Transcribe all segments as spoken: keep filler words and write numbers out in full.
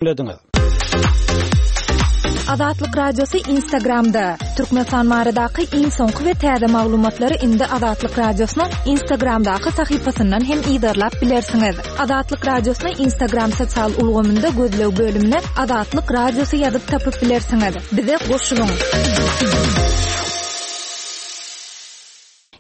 Diňlediňiz. Azatlyk Radiosy Instagramda, Türkmenistan baradaky iň soňky we täze maglumatlary indi Azatlyk Radiosynyň Instagramdaky sahypasyndan hem yzarlap bilersiňiz. Azatlyk Radiosyny Instagram sosial ulgamynda gözleg bölümine Azatlyk Radiosy ýazyp tapyp bilersiňiz. Bize goşulyň!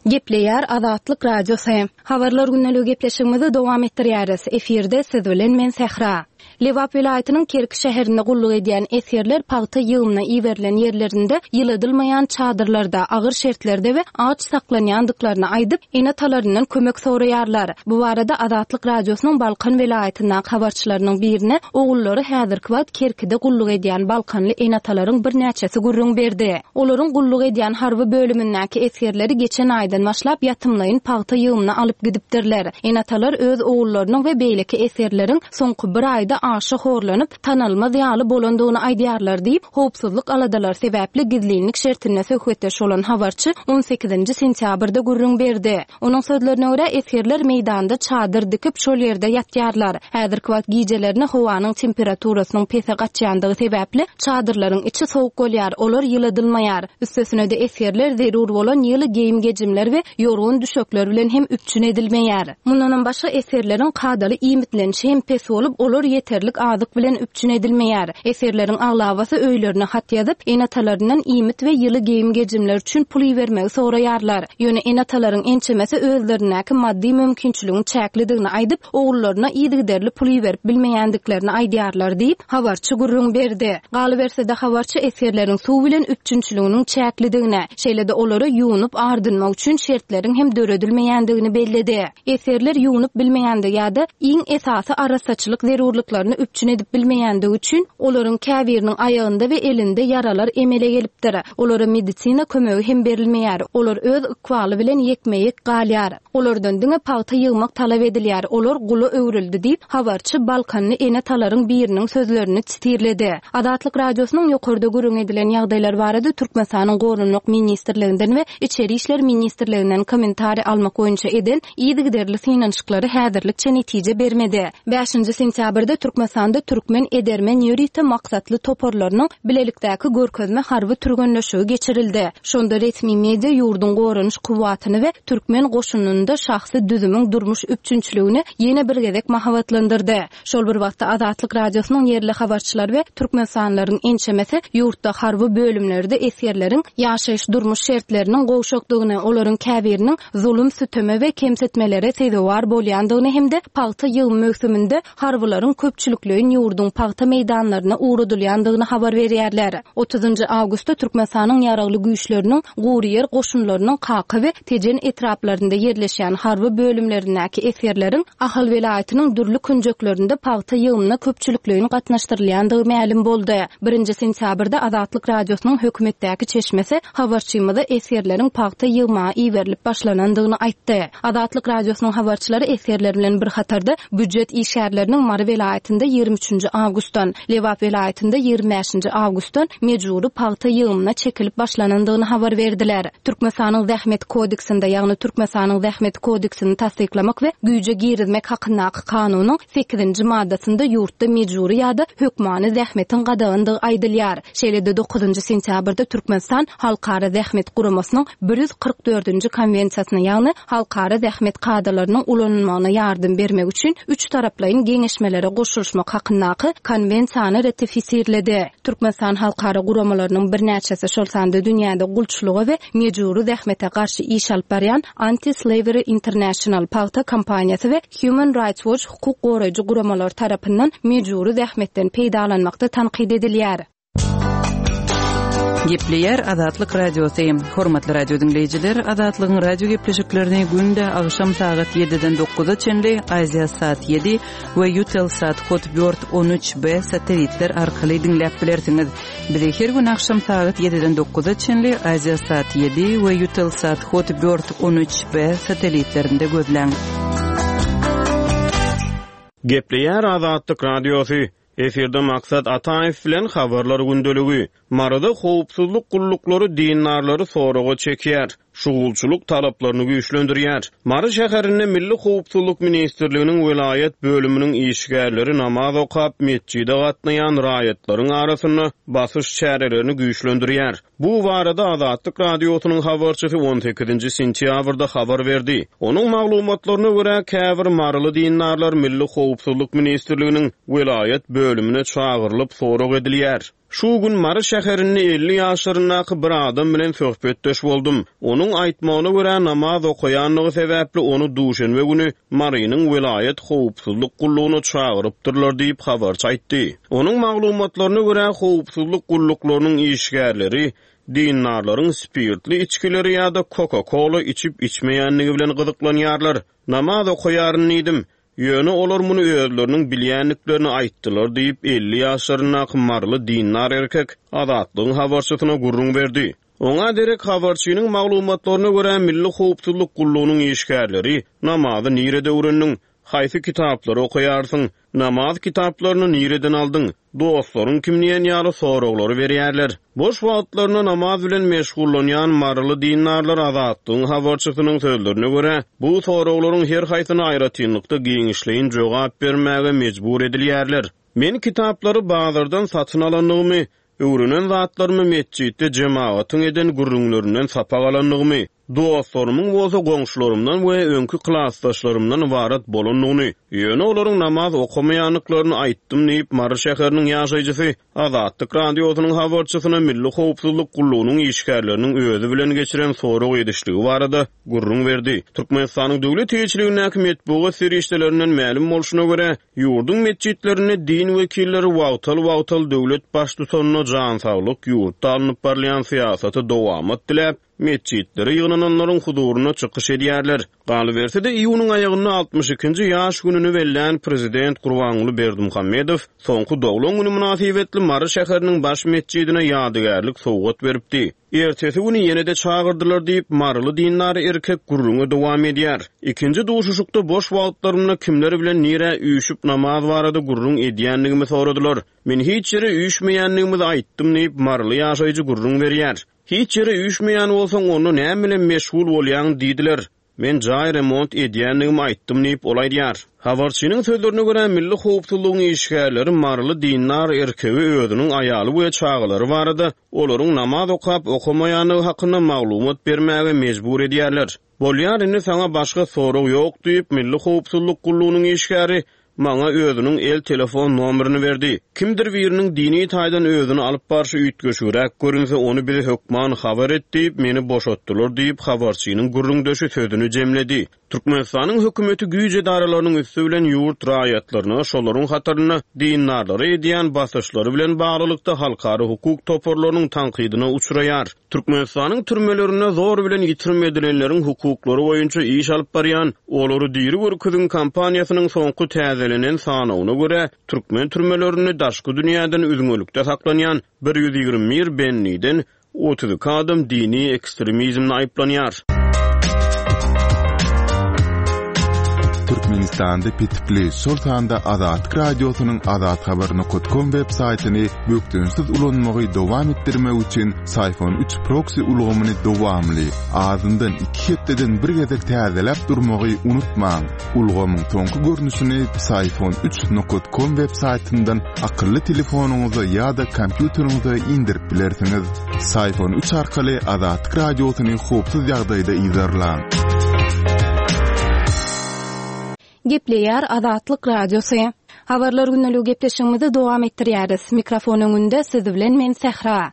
Gepleýär Azatlyk Radiosy. Habarlar gündeligi gepleşigimizi dowam etdirýäris. Efirde siz bilen men Sähra. Lebap welaýatynyň Kerki şäherinde gulluk edýän esgerler pagta ýygymyna iberilen ýerlerinde ýyladylmaýan çadyrlarda, agyr şertlerde we aç saklanýandyklaryny aýdyp, ene-atalaryndan kömek soraýarlar. Bu barada Azatlyk Radiosynyň Balkan welaýatyndaky habarçylarynyň birine ogullary häzirki wagt Kerkide gulluk edýän balkanly ene-atalaryň birnäçesi gürrüň berdi. Olaryň gulluk edýän harby bölümindäki esgerleri geçen aýdan başlap ýatymlaýyn pagta ýygymyna alyp gidipdirler. Ene-atalar öz ogullarynyň we beýleki esgerleriň soňky bir aýda aşa horlanyp, tanalmaz ýaly bolandygyny aýdýarlar diýip, howpsuzlyk aladalary sebäpli gizlinlik şertinde söhbetdeş bolan habarçy on sekizinji sentýabrda gürrüň berdi. Onuň sözlerine görä, esgerler meýdanda çadyr dikip, şol ýerde ýatýarlar. Häzirki wagt gijelerine howanyň temperaturasynyň pese gaçýandygy sebäpli, çadyrlaryň içi sowuk bolýar, olar ýyladylmaýar. Üstesine-de, esgerler zerur bolan ýyly geýim-gejimler we ýorgan-düşekler bilen hem üpjün edilmeýär. Mundanam başga, esgerleriň kadaly iýmitlenişi hem pes bolup, olar ýeterlik azyk bilen üpjün edilmeýär. Esgerleriň aglabasy öýlerine hat ýazyp, ene-atalaryndan iýmit we ýyly geýim-gejimler üçin pul ibermegi soraýarlar. Ýöne ene-atalaryň ençemesi özlerindäki maddy mümkinçiligiň çäklidigini aýdyp, ogullaryna yzygiderli pul iberip bilmeýändiklerini aýdýarlar diýip, habarçy gürrüň berdi. Galyberse-de, habarçy esgerleriň suw bilen üpjünçiliginiň çäklidigini, şeýle-de olara ýuwnup-ardynmak üçin şertleriň hem döredilmeýändigini belledi. Esgerler ýuwnup bilmeýändigi ýa-da iň esasy arassaçylyk zerurlyklaryny üpjün edip bilmeýändigi üçin, olaryň käbiriniň aýagynda we elinde ýaralar emele gelipdir. Olara medisina kömegi hem berilmeýär. Olar öz ykbaly bilen ýekme-ýek galýar. Olardan diňe pagta ýygmak talap edilýär, olar gula öwrüldi diýip, habarçy balkanly ene-atalaryň biriniň sözlerini sitirledi. Azatlyk Radiosynyň ýokarda gürrüň edilen ýagdaýlar barada Türkmenistanyň Goranmak ministrliginden we Içeri işler ministrliginden kommentariý almak boýunça eden yzygiderli synanyşyklary häzirlikçe netije bermedi. Bäşinji sentýabrda Türkmenistanda türkmen edermen ýörite maksatly toparlarynyň bilelikdäki görkezme harby türgenleşigi geçirildi. Şonda resmi media ýurduň goranyş kuwwatyny we türkmen goşunynda şahsy düzümiň durmuş üpjünçiligini ýene bir gezek mahabatlandyrdy. Şol bir wagtda Azatlyk Radiosynyň ýerli habarçylary we türkmenistanlylaryň ençemesi ýurtda harby bölümlerde esgerleriň ýaşaýyş-durmuş şertleriniň gowşakdygyny, olaryň käbiriniň zulum-süteme we kemsitmelere sezewar bolýandygyny hem-de pagta ýygymy möwsüminde harbylaryň köpçülikleýin ýurduň pagta meýdanlaryna ugradylýandygyny habar berýärler. Otuzynjy awgustda Türkmenistanyň Ýaragly Güýçleriniň Guryýer goşunlarynyň Kaka we Tejen etraplarynda ýerleşýän harby bölümlerindäki esgerleriň Ahal welaýatynyň dürli künjeklerinde pagta ýygymyna köpçülikleýin gatnaşdyrylýandygy mälim boldy. Birinji sentýabrda Azatlyk Radiosynyň hökümetdäki çeşmesi habarçymyza esgerleriň pagta ýygmaga iberilip başlanandygyny aýtdy. Azatlyk Radiosynyň habarçylary esgerler bilen bir hatarda býujet işgärleriniň Mary welaýatynda ýigrimi üçünji awgustdan, Lebap welaýatynda ýigrimi bäşinji awgustdan mejbury pagta ýygymyna çekilip başlanandygyny habar berdiler. Türkmenistanyň Zähmet kodeksinde, ýagny Türkmenistanyň Zähmet kodeksini tassyklamak we güýje girizmek hakyndaky kanunyň sekizinji maddasynda ýurtda mejbury ýa-da hökmany zähmetiň gadagandygy aýdylýar. Şeýle-de dokuzynjy sentýabrda Türkmenistan Halkara zähmet guramasynyň bir ýüz kyrk dördünji konwensiýasyna, ýagny halkara zähmet kadalarynyň ulanylmagyna ýardam bermek üçin üç taraplaýyn geňeşmelere goşulyşmak hakyndaky konwensiýany ratifisirledi. Türkmenistan halkara guramalarynyň birnäçesi, şol sanda dünýäde gulçulyga we mejbury zähmete garşy iş alyp barýan Anti-Slavery International, pagta kampaniýasy we Human Rights Watch hukuk goraýjy guramalary tarapyndan mejbury zähmetden peýdalanmakda tankyt edilýär. Gepleýär Azatlyk Radiosy. Hormatly radio diňleýjiler, Azatlygyň radio gepleşiklerini günde agşam sagat ýediden dokuza çenli Aziasat ýedi we Eutelsat Hotbird on üç B satellitler arkaly diňläp bilersiňiz. Bizi her gün agşam sagat ýediden dokuza çenli Aziasat ýedi we Eutelsat Hotbird on üç B satellitlerinde gözläň. Gepleýär Azatlyk Radiosy. Efirde Maksat Ataýew bilen Habarlar gündeligi. Maryda howpsuzlyk gulluklary dindarlary soraga çekýär. şugulçylyk talaplaryny güýçlendirýär. Mary şäherinde Milli howpsuzlyk ministrliginiň welaýat bölüminiň işgärleri namaz okap, metjide gatnaýan raýatlaryň arasynda basyş çärelerini güýçlendirýär. Bu barada Azatlyk Radiosynyň habarçysy on sekizinji sentýabrda habar berdi. Onuň maglumatlaryna görä, käbir maryly dindarlar Milli howpsuzlyk ministrliginiň welaýat bölümine çagyrylyp sorag edilýär. Şu gün Mary şäherinde elli ýaşlaryndaky bir adam bilen söhbetdeş boldum. Onuň aýtmagyna görä, namaz okaýandygy sebäpli ony duşenbe güni Marynyň welaýat howpsuzlyk gullugyna çagyrypdyrlar diýip habarçy aýtdy. Onuň maglumatlaryna görä, howpsuzlyk gulluklarynyň işgärleri dindarlaryň spirtli içgileri ýa-da Coca-Cola içip-içmeýändigi bilen gyzyklanýarlar. Namaz okaýaryn diýdim. Ýöne olar muny özleriniň bilýändiklerini aýtdylar diýip, elli ýaşlaryndaky maryly dindar erkek Azatlygyň habarçysyna gürrüň berdi. Oňa derek habarçynyň maglumatlaryna görä, Milli howpsuzlyk gullugynyň işgärleri namazy nirede öwrendiň, haýsy kitaplary okaýarsyň, namaz kitaplaryny nireden aldyň, dostlaryň kim diýen ýaly soraglary berýärler. Boş wagtlarynda namaz bilen meşgullanýan maryly dindarlar Azatlygyň habarçysynyň sözlerine görä, bu soraglaryň her haýsyna aýratynlykda giňişleýin jogap bermäge mejbur edilýärler. Men kitaplary bazardan satyn alandygymy, öwrenen zatlarymy metjitde jemagatyň eden gürrüňlerinden sapak alandygymy, dostlarymyň bolsa goňşularymdan we öňki klasdaşlarymdan ybarat bolandygyny, ýöne olaryň namaz okamaýandyklaryny aýtdym diýip, Mary şäheriniň ýaşaýjysy Azatlyk Radiosynyň habarçysyna Milli howpsuzlyk gullugynyň işgärleriniň özi bilen geçiren sorag edişligi barada gürrüň berdi. Türkmenistanyň döwlet eýeçiligindäki metbugat serişdelerinden mälim bolşuna görä, ýurduň metjitlerinde din wekilleri wagtal-wagtal döwlet baştutanyna jan saglyk, ýurtda alnyp barylýan syýasaty dowamat diläp, metjitlere ýygnananlaryň huzuryna çykyş edýärler. Galyberse-de iýunyň aýagynda altmyş ikinji ýaş gününi bellän prezident Gurbanguly Berdimuhamedow soňky doglan güni mynasybetli Mary şäheriniň baş metjidine ýadygärlik sowgat beripdi. Ertesi güni ýene-de çagyrdylar diýip, maryly dindar erkek gürrüňe dowam edýär. Ikinji duşuşykda boş wagtlarymda kimler bilen nirä üýşüp namaz barada gürrüň edýändigimi soradylar. Men hiç ýere üýşmeýändigimizi aýtdym diýip, maryly ýaşaýjy gürrüň berýär. Hiç ýere üýşmeýän bolsaň, onda näme bilen meşgul bolýaň diýdiler. Men jaý remont edýändigimi aýtdym diýip, ol aýdýar. Habarçynyň sözlerine görä, Milli howpsuzlygyň işgärleri maryly dindar erkegi özüniň aýaly we çagalary barada olaryň namaz okap okamaýandygy hakynda maglumat bermäge mejbur edýärler. Bolýar, indi saňa başga sorag ýok diýip, Milli howpsuzlyk gullugynyň işgäri maňa özüniň el telefon nomerini berdi. Kimdir biriniň dini taýdan özüni alyp barşy üýtgeşigräk görünse, ony bize hökman habar et diýip, meni boşatdylar diýip, habarçynyň gürrüňdeşi sözüni jemledi. Türkmenistanyň hökümeti güýç edaralarynyň üsti bilen ýurt raýatlaryna, şolaryň hatarynda dindarlara edýän basyşlary bilen baglylykda halkara hukuk toparlarynyň tankydyna uçraýar. Türkmenistanyň türmelerinde zor bilen ýitirim edilenleriň hukuklary boýunça iş alyp barýan Olary diri görkeziň kampaniýasynyň soňky täzelenen sanawyna görä, türkmen türmelerinde daşky dünýäden üzňelikde saklanýan bir ýüz ýigrimi bir bendiden otuz iki adam dini ekstremizmde aýyplanýar. Türkmenistanda petikli, şol sanda Azatlyk Radiosynyň azathabar nokta com web saýtyny bökdençsiz ulanmagy dowam etdirmek üçin Syfon üç proxy ulgamyny dowamly, azyndan iki hepdeden bir gezek täzeläp durmagy unutmaň. Ulgamyň soňky görnüşini Syfon üç nokta com web saýtyndan akylly telefonyňyza ýa-da kompýuteriňize indirip bilersiňiz. Syfon üç arkaly Azatlyk Radiosyny howpsuz ýagdaýda yzarlaň. Gepleýär Azatlyk Radiosy. Habarlar günlügi gepleşigimizi dowam etdirýäris. Mikrofon öňünde siz bilen men Sähra.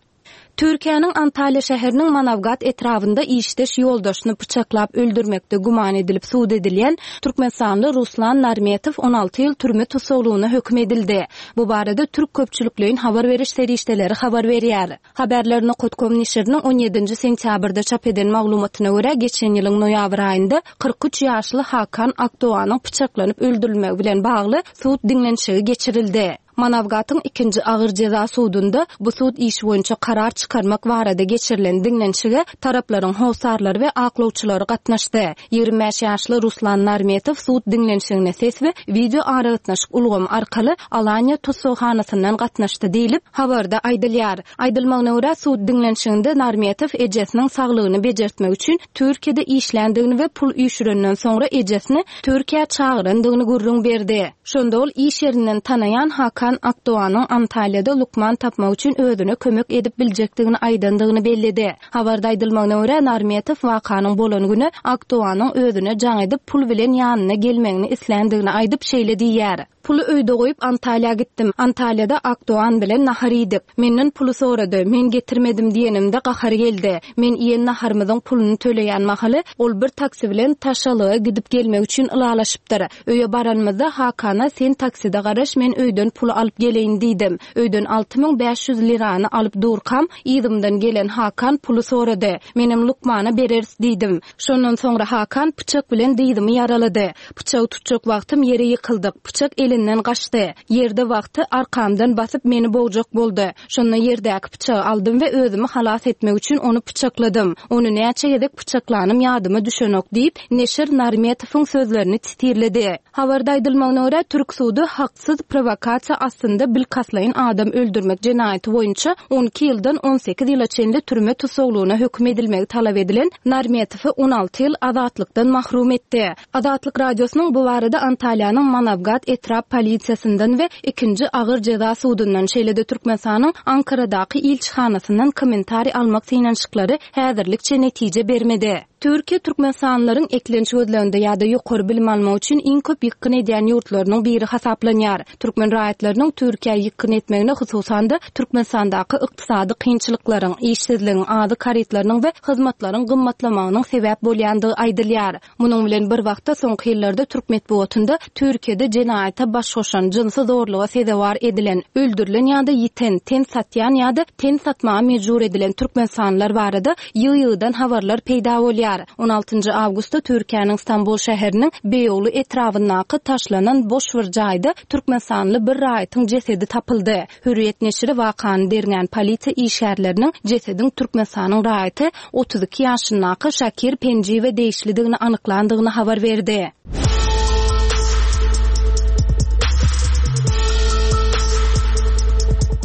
Türkiýäniň Antalýa şäheriniň Manawgat etrabynda işdeş ýoldaşyny pyçaklap öldürmekde güman edilip sud edilýän Türkmenistanly Ruslan Narmetow on alty ýyl türme tussaglygyna höküm edildi. Bu barada türk köpçülikleýin habar beriş serişdeleri habar berýär. Haberler nokta com neşiriniň on ýedinji sentýabrda çap eden maglumatyna görä, geçen ýylyň noýabr aýynda kyrk üç ýaşly Hakan Akdoğanyň pyçaklanyp öldürilmegi bilen bagly sud diňlenişigi geçirildi. Manawgatyň ikinji agyr jeza sudunda bu sud işi boýunça karar çykarmak barada geçirilen diňlenişige taraplaryň hossarlary we aklawçylary gatnaşdy. Ýigrimi bäş ýaşly Ruslan Narmetow sud diňlenişigine ses we wideo aragatnaşyk ulgamy arkaly Alaniýa tussaghanasyndan gatnaşdy diýlip, habarda aýdylýar. Aýdylmagyna görä, sud diňlenişiginde Narmetow ejesiniň saglygyny bejertmek üçin Türkiýede işländigini we pul üýşürenden soňra ejesini Türkiýä çagyrandygyny gürrüň berdi. Şonda ol iş ýerinden tanaýan Hakan Akdoganyň Antalýada lukman tapmak üçin özüne kömek edip biljekdigini aýdandygyny belledi. Habarda aýdylmagyna görä, Narmetow wakanyň bolan güni Akdoganyň özüne jaň edip, pul bilen ýanyna gelmegini isländigini aýdyp, şeýle diýýär, Puly öýde goýup Antalýa gitdim. Antalýada Akdogan bilen nahar iýdik. Menden puly sorady. Men getirmedim diýenimde gahary geldi. Men iýen naharymyzyň puluny töleýän mahaly ol bir taksi bilen Taşalyga gidip gelmek üçin ylalaşypdyr. Öýe baranymyzda Hakana sen takside garaş men öýden puly alyp geleýin diýdim. Öýden alty müň bäş ýüz lirany alyp durkam yzymdan gelen Hakan puly sorady. Menem lukmana bereris diýdim. Şondan soňra Hakan pyçak bilen dyzymy ýaralady. Pyçagy tutjak wagtym ýere ýykyldyk. Pyçak elinden gaçdy. Ýerde wagty arkamdan basyp meni bogjak boldy. Şonda ýerdäki pyçagy aldym we özümi halas etmek üçin ony pyçakladym. Ony näçe gezek pyçaklanym ýadyma düşenok diýip, neşir Narmetowyň sözlerini sitirledi. Habarda aýdylmagyna görä, türk sudy haksyz prowokasiýa astynda bilkastlaýyn adam öldürmek jenaýaty boýunça on iki ýyldan on sekiz ýyla çenli türme tussaglygyna höküm edilmegi talap edilen Narmetowy on alty ýyl azatlykdan mahrum etdi. Azatlyk Radiosynyň bu barada Antalýanyň Manawgat etrap polisiýasyndan we ikinji agyr jeza sudundan, şeýle-de Türkmenistanyň Ankaradaky ilçihanasyndan kommentariý almak synanyşyklary häzirlikçe netije bermedi. Türkiýe türkmenistanlylaryň eklenç gözleginde ýa-da ýokary bilim almak üçin iň köp ýykgyn edýän ýurtlarynyň biri hasaplanýar. Türkmen raýatlarynyň Türkiýä ýykgyn etmegine hususan-da Türkmenistandaky ykdysady kynçylyklaryň, işsizligiň, azyk harytlarynyň we hyzmatlaryň gymmatlamagynyň sebäp bolýandygy aýdylýar. Munuň bilen bir wagtda soňky ýyllarda türk metbugatynda Türkiýede jenaýata baş goşan, jynsy zorluga sezewar edilen, öldürilen ýa-da ýiten, ten satýan ýa-da ten satmaga mejbur edilen türkmenistanlylar barada ýygy-ýygydan habarlar peýda bolýar. On altynjy awgustda Türkiýäniň Stambul şäheriniň Beýoglu etrabyndaky taşlanan boş bir jaýda türkmenistanly bir raýatyň jesedi tapyldy. Hürriýet neşiri wakany derňän polisiýa işgärleriniň jesediň Türkmenistanyň raýaty otuz iki ýaşyndaky Şakir Penjiwe degişlidigini anyklandygyny habar berdi.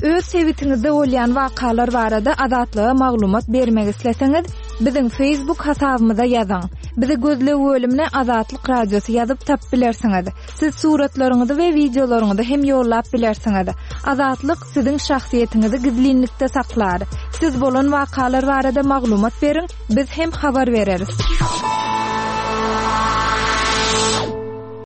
Öz sebitiňizde bolýan wakalar barada Azatlyga maglumat bermek isleseňiz, biziň Facebook hasabymyza ýazyň. Bizi gözleg bölümine Azatlyk Radiosy ýazyp tap bilersiňiz. Siz suratlaryňyzy we wideolaryňyzy hem ýollap bilersiňiz. Azatlyk siziň şahsyýetiňizi gizlinlikde saklar. Siz bolan wakalar barada maglumat beriň, biz hem habar bereris.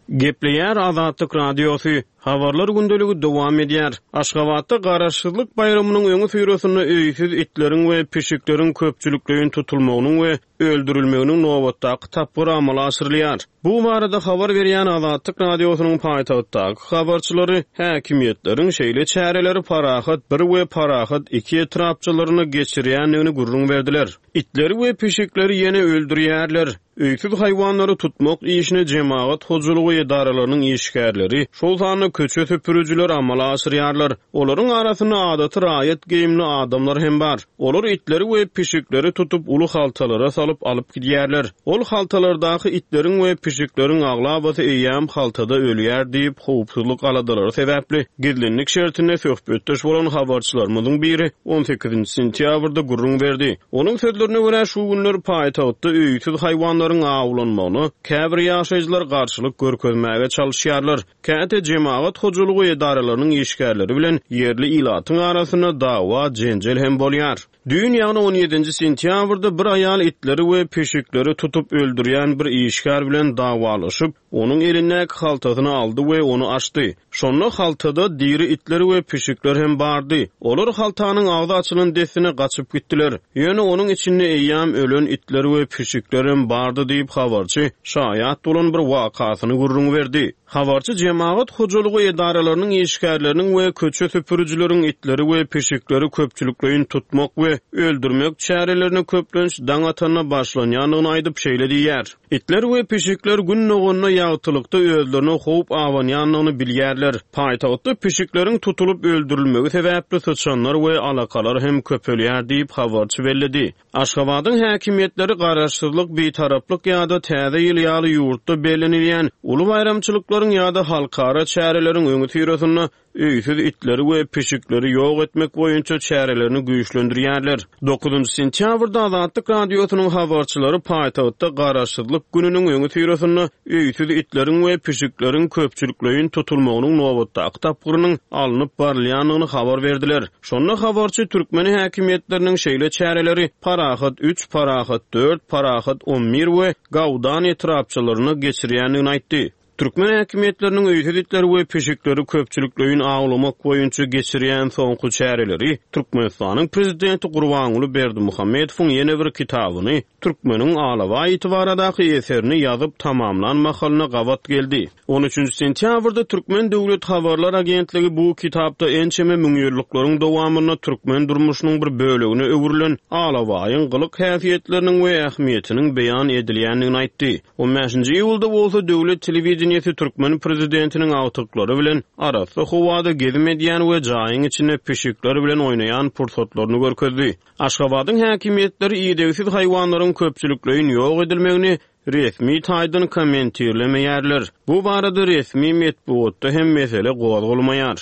Gepleýär Azatlyk Radiosy. Habarlar gündeligi dowam edýär. Aşgabatda Garaşsyzlyk baýramynyň öňi syrasynda öýsüz itleriň we pişikleriň köpçülikleýin tutulmagynyň we öldürilmeginiň nobatdaky tapgyry amala aşyrylýar. Bu barada habar berýän Azatlyk Radiosynyň paýtagtdaky habarçylary häkimiýetleriň şeýle çäreleri Parahat bir we Parahat iki etrapçalaryna geçirýändigini gürrüň berdiler. Itleri we pişikleri ýene öldürýärler. Öýsüz haýwanlary tutmak işine jemagat hojalygy edaralarynyň işgärleri, şol sanda köçe süpürüjiler amala aşyrýarlar. Olaryň arasynda adaty raýat geýimli adamlar hem bar. Olar itleri we pişikleri tutup uly haltalara salyp alyp gidýärler. Ol haltalardaky itleriň we pişikleriň aglabasy eýýäm haltada ölýär diýip, howpsuzlyk aladalary sebäpli gizlinlik şertinde söhbetdeş bolan habarçylarymyzyň biri on sekizinji sentýabrda gürrüň berdi. Onuň sözlerine görä şu günler paýtagtda öýsüz haýwanlaryň awlanmagyna käbir ýaşaýjylar garşylyk görkezmäge çalyşýarlar. Käte jemagat hojalygy edaralarynyň işgärleri bilen ýerli ilatyň arasynda dawa jenjel hem bolýar. Düýn ýagny on ýedinji sentýabrda bir aýal itleri we pişikleri tutup öldürýän bir işgär bilen dawalaşyp, onuň elindäki haltasyny aldy we ony açdy. Şonda haltada diri itler we pişikler hem bardy. Olar haltanyň agzy açylan dessine gaçyp gitdiler. Ýöne onuň içinde eýýäm ölen itler we pişikler hem bardy diýip habarçy şaýat bolan bir wakasyny gürrüň berdi. Habarçy jemagat hojalygy edaralarynyň işgärleriniň we köçe süpürijileriň itleri we pişikleri köpçülikleýin tutmak we öldürmek çärelerine köplenç daň atanda başlanýandygyny aýdyp, şeýle diýýär, Itler we pişikler Gün doganda ýagtylykda özlerine howp abanýandygyny bilýärler. Paýtagtda pişikleriň tutulyp öldürilmegi sebäpli syçanlar we alakalar hem köpelýär diýip, habarçy belledi. Aşgabadyň häkimiýetleri Garaşsyzlyk, Bitaraplyk ýa-da Täze ýyl ýaly ýurtda bellenilýän uly baýramçylyklaryň ýa-da halkara çäreleriň öňüsyrasynda öýsüz itleri we pişikleri ýok etmek boýunça çärelerini güýçlendirýärler. Dokuzynjy sentýabrda Azatlyk Radiosynyň habarçylary paýtagtda Garaşsyzlyk gününiň öňüsyrasynda öýsüz itleriň we pişikleriň köpçülikleýin tutulmagynyň nobatdaky tapgyrynyň alnyp barylýandygyny habar berdiler. Şonda habarçy türkmen häkimiýetleriniň şeýle çäreleri Parahat üç, Parahat dört, Parahat on bir we Gawdan etrapçalarynda geçirýändigini aýtdy. Türkmen häkimiýetleriniň öýsüz itleri we pişikleri köpçülikleýin awlamak boýunça geçirýän soňky çäreleri Türkmenistanyň prezidenti Gurbanguly Berdimuhamedowyň ýene bir kitabyny, Türkmeniň alabaý iti baradaky eserini ýazyp tamamlan mahalyna gabat geldi. On üçünji sentýabrda Türkmen döwlet habarlar agentligi bu kitapda ençeme müňýyllyklaryň dowamynda türkmen durmuşynyň bir bölegine öwrülen alabaýyň gylyk-häsiýetleriniň we ähmiýetiniň beýan edilýändigini aýtdy. On bäşinji iýulda bolsa döwlet telewideniýesi türkmen prezidentiniň agtyklary bilen arassa howada gezim edýän we jaýyň içinde pişikler bilen oýnaýan pursatlaryny görkezdi. Aşgabadyň häkimiýetleri idegsiz haýwanlaryň köpçülikleýin ýok edilmegini resmi taýdan kommentirlemeýärler. Bu barada resmi metbugatda hem mesele gozgalmaýar.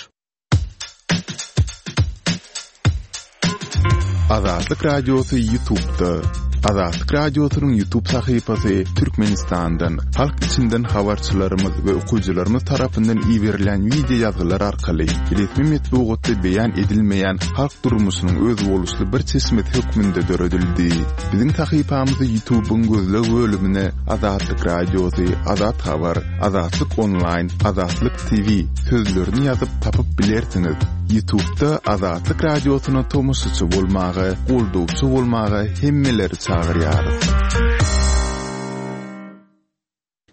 Azatlyk Radiosy YouTube'da. Azatlyk Radiosynyň YouTube sahypasy Türkmenistandan, halk içinden habarçylarymyz we okyjylarymyz tarapyndan iberilen wideo ýazgylar arkaly resmi metbugatda beýan edilmeýän halk durmuşynyň özboluşly bir çeşmesi hökmünde döredildi. Biziň sahypamyzy YouTube'yň gözleg bölümine Azatlyk Radiosy, Azat Habar, Azatlyk Online, Azatlyk T V sözlerini ýazyp tapyp bilersiňiz. YouTube'da Azatlyk Radiosyna tomaşaçy bolmaga, goldawçy bolmaga hemmeleri çagyrýarys.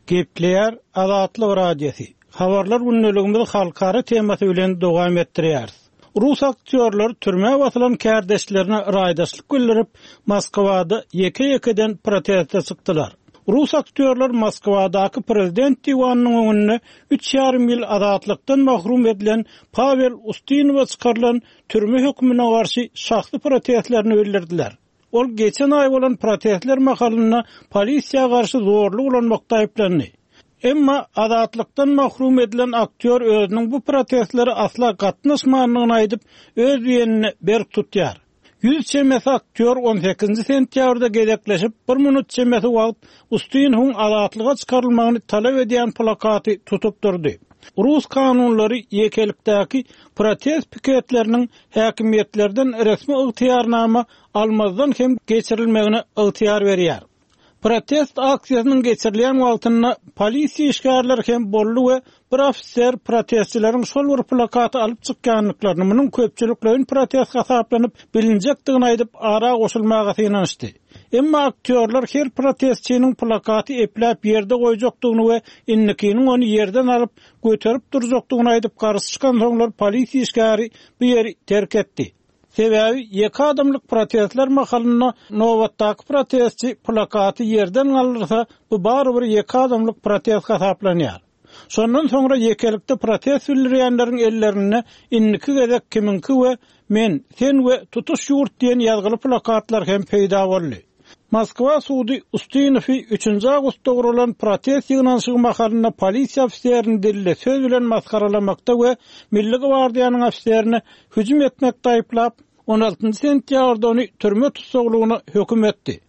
Gepleýär Azatlyk Radiosy. Habarlar gündeligimizi halkara temasy bilen dowam etdirýäris. Rus aktýorlar türmä basylan kärdeşlerine raýdaşlyk bildirip, Moskwada ýeke-ýekeden proteste çykdylar. Rus aktýorlar Moskwadaky prezident diwanynyň öňünde üç ýarym ýyl azatlykdan mahrum edilen Pavel Ustinowa çykarylan türme hökmüne garşy şahsy protestlerini bildirdiler. Ol geçen aý bolan protestler mahalynda polisiýa garşy zorluk ulanmakda aýyplandy. Emma azatlykdan mahrum edilen aktýor özüniň bu protestlere asla gatnaşmandygyny aýdyp, öz diýenini berk tutýar. Ýüz çemesi aktýor on sekizinji sentýabrda gezekleşip, bir minut çemesi wagt Ustinowyň azatlyga çykarylmagyny talap edýän plakaty tutup durdy. Rus kanunlary ýekelikdäki protest piketleriniň häkimiýetlerden resmi ygtyýarnama almazdan hem geçirilmegine ygtyýar berýär. Protest aksiýasynyň geçirilýän wagtynda polisiýa işgärleri hem boldy we bir ofiser protestçileriň şol bir plakaty alyp çykýandyklaryny, munuň köpçülikleýin protest hasaplanyp bilinjekdigini aýdyp ara goşulmaga synanyşdy. Emma aktýorlar her protestçiniň plakaty epläp ýerde goýjakdygyny we indikiniň ony ýerden alyp göterip durjakdygyny aýdyp garşy çykan soňlar polisiýa işgäri bu ýeri terk etdi. Sebäbi ýeke adamlyk protestler mahalynda nobatdaky protestçi plakaty ýerden galdyrsa, bu barybir ýeke adamlyk protest hasaplanýar. Şondan soňra ýekelikde protest bildirýänleriň ellerinde indiki gezek kimiňki we men, sen we tutuş ýurt diýen ýazgyly plakatlar hem peýda boldy. Moskwa sudy Ustinowy üçünji awgustda gurulan protest ýygnanyşygy mahalynda polisiýa ofiserini dilli söz bilen masgaralamakda we Milli gwardiýanyň ofiserine hüjüm etmekde aýyplap, on altynjy sentýabrda ony türme tussaglygyna höküm etdi.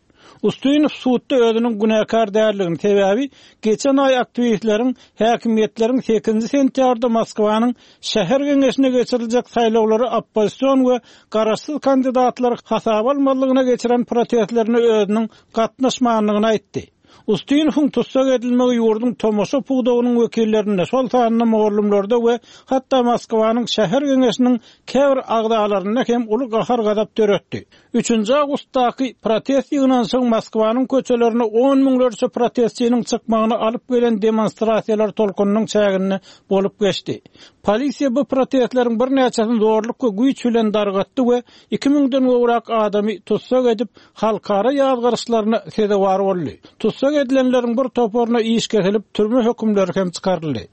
Ustinow sudda özüniň günäkär däldigini, sebäbi geçen aý aktiwistleriň häkimiýetleriň sekizinji sentýabrda Moskwanyň şäher geňeşine geçiriljek saýlawlary oppozision we garaşsyz kandidatlar hasaba almazlygyna geçiren protestlerine özüniň gatnaşmandygyny aýtdy. Ustinowyň tussag edilmegi ýurduň tomaşa pudagynyň wekillerinde, şol sanda mugallymlarda we hatda Moskwanyň şäher geňeşiniň käbir agzalarynda hem uly gahar-gazap döretdi. Üçünji awgustdaky protest ýygnanyşygy Moskwanyň köçelerine on müňlerçe protestçiniň çykmagyny alyp gelen demonstrasiýalar tolkunynyň çäginde bolup geçdi. Polisiýa bu protestleriň birnäçesini zorluk we güýç bilen dargatdy we iki müňden gowrak adamy tussag edip, halkara ýazgaryşlaryna sezewar boldy. Tussag edilenleriň bir toparyna iş kesilip, türme hökümleri hem çykaryldy.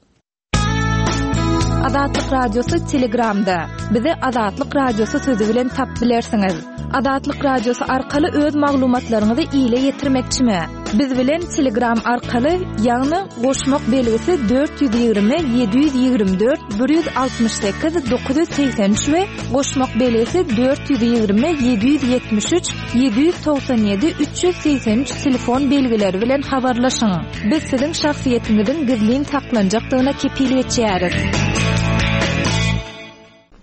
Azatlyk Radiosy Telegramda. Bizi Azatlyk Radiosy sözü bilen tap bilersiňiz. Azatlyk Radiosy arkaly öz maglumatlaryňyzy ile ýetirmekçimi? Biz bilen Telegram arkaly, ýagny goşmak belgisi dört ýüz ýigrimi, ýedi ýüz ýigrimi dört, bir ýüz altmyş sekiz, dokuz ýüz segsen üç we goşmak belgisi dört ýüz ýigrimi, ýedi ýüz ýetmiş üç, ýedi ýüz togsan ýedi, üç ýüz segsen üç telefon belgileri bilen habarlaşyň. Biz siziň şahsyýetiňiziň gizlin saklanjakdygyna kepil geçýäris.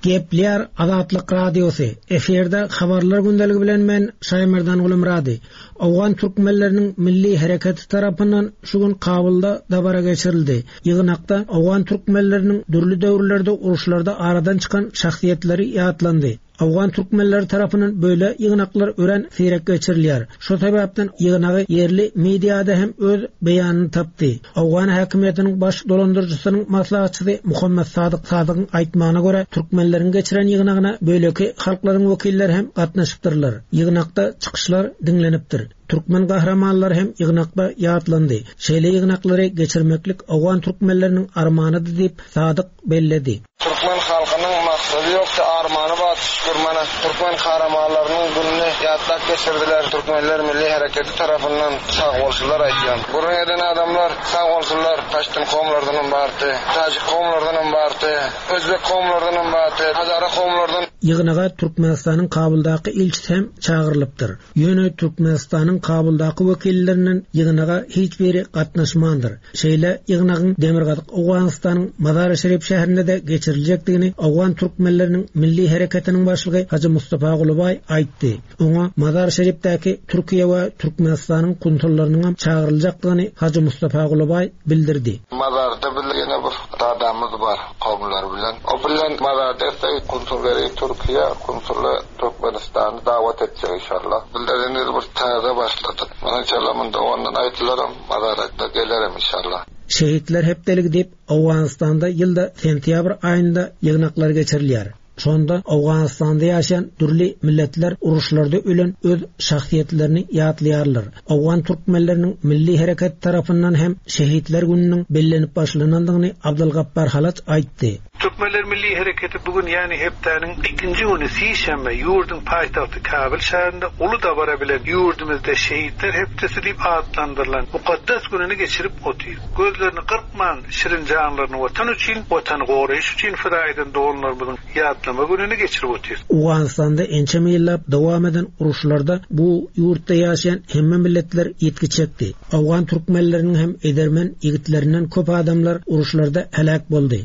Gepler Azatlyk Radiosy. Efirde habarlar gündeligi bilen men Şaýmerdan Gulumrady. Owgan türkmenleriniň milli hereketi tarapyndan şu gün Kabulda dabara geçirildi. Ýygnakda Owgan türkmenleriniň dürli döwürlerde uruşlarda aradan çykan şahsyýetleri ýatlandy. Owgan türkmenleri tarapyndan böyle ýygnaklar ören seýrek geçirilýär. Şu sebäpden ýygnagy ýerli mediada hem öz beýanyny tapdy. Owgan häkimiýetiniň baş dolandyryjysynyň maslahatçysy Muhammed Sadyk Sadygyň aýtmagyna görä türkmenleriň geçiren ýygnagyna böleki halklaryň wekilleri hem gatnaşypdyrlar. Ýygnakda çykyşlar diňlenipdir. Türkmen gahramanlary hem ýygnakda ýatlandy. Şeýle ýygnaklary geçirmeklik Owgan türkmenleriniň armanydy diýip Sadyk belledi. Türkmen halkynyň maksady ýokdy, armany bar, şükür mana. Türkmen kahramanlarynyň gününi ýatlap geçirdiler. Türkmenler Milli Hereketi tarapyndan sag bolsunlar aýtýan. Gürrüň eden adamlar sag bolsunlar. Paştun kowumlardan hem bardy, Tajik kowumlardan hem bardy, Özbek kowumlardan hem bardy, Hazara kowumlardan. Ýygnaga Türkmenistanyň Kabuldaky ilçisi hem çagyrylypdyr. Ýöne Türkmenistanyň Kabuldaky wekillerinden ýygnaga hiç biri gatnaşmandyr. Şeýle ýygnagyň Demirgazyk Owganystanyň Mazar-i Şerif şäherinde de geçiriljekdigini Owgan türkmenleriniň Milli Hereketiniň başlygy Hajy Mustafa Gulubaý aýtdy. Oňa Mazar-i Şerifdäki Türkiýe we Türkmenistanyň konsullarynyň hem çagyryljakdygyny Hajy Mustafa Gulubaý bildirdi. Mazarda bir ýene bir dadamyz bar kowumlar bilen. O bilen Mazarda ise konsullary Türkiýe, konsuly Türkmenistany davat etjek inşallah. Bildirdiğiniz bir täze başladyk. Mana inşallah munda ondan aýdylaram, Mazarda gelerim inşallah. Şehitler hepdeligi diýip Owganystanda ýylda sentýabr aýynda ýygnaklar geçirilýär. Şonda Owganystanda ýaşaýan dürli milletler uruşlarda ölen öz şahsyýetlerini ýatlaýarlar. Owgan türkmenleriniň milli hereket tarapyndan hem şehitler gününiň bellenip başlanandygyny Abdulgappar Halaç aýtdy. Türkmenler Milli Hereketi bugün yani hepdäniň ikinji günü sişenbe ýurduň paýtagty Kabul şäherinde uly dabara bilen ýurdumyzda şehitler hepdesi diýip atlandyrylan mukaddes gününi geçirip otyr. Gözlerini gyrpman şirin janlaryny watan üçin, watany goraýyş üçin fida eden doganlarymyzyň ýatlama gününi geçirip otyr. Owganystanda ençeme ýyllap dowam eden uruşlarda bu ýurtda ýaşaýan hemme milletler ýetgi çekdi. Owgan türkmenleriniň hem edermen ýigitlerinden köp adamlar uruşlarda helak boldy.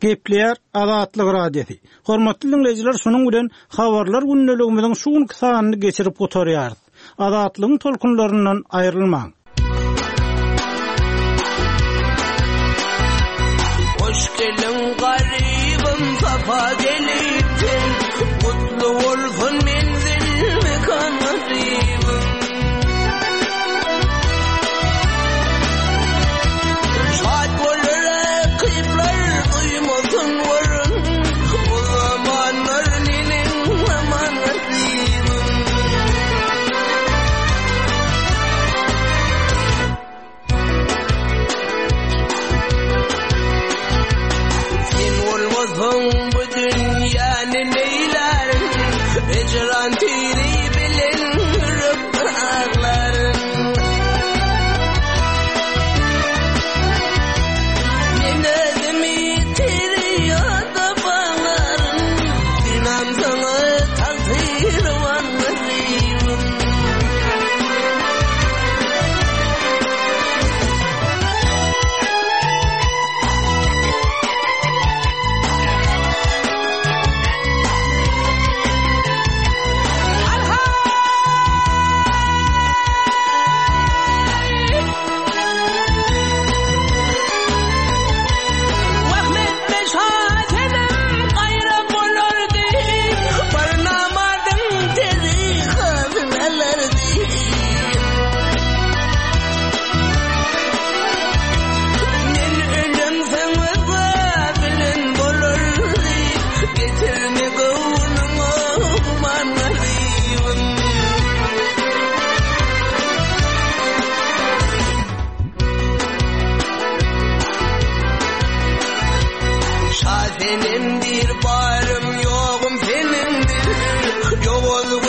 Gepleýär Azatlyk Radiosy. Hormatly dinleýjiler, şunuň bilen habarlar gündeligimiziň şu günki sanyny geçirip gutarýarys. Azatlygyň tolkunlaryndan aýrylmaň. Hoş gelin garibim sapa gelipsin. Mutlu olsun menzil mekan nasibim. Şad olur rakipler duymasın varın. O zamanlar nenin zaman nasibim. Sen olmasan bu dünyanın neylerin? Ecran tiri bilen yürüp ağlarım. Men özümi tiri yatıp ağlarım. Sinem sana takdir var nasibim. Şasenemdir barym ýogum senindir. Ýowuz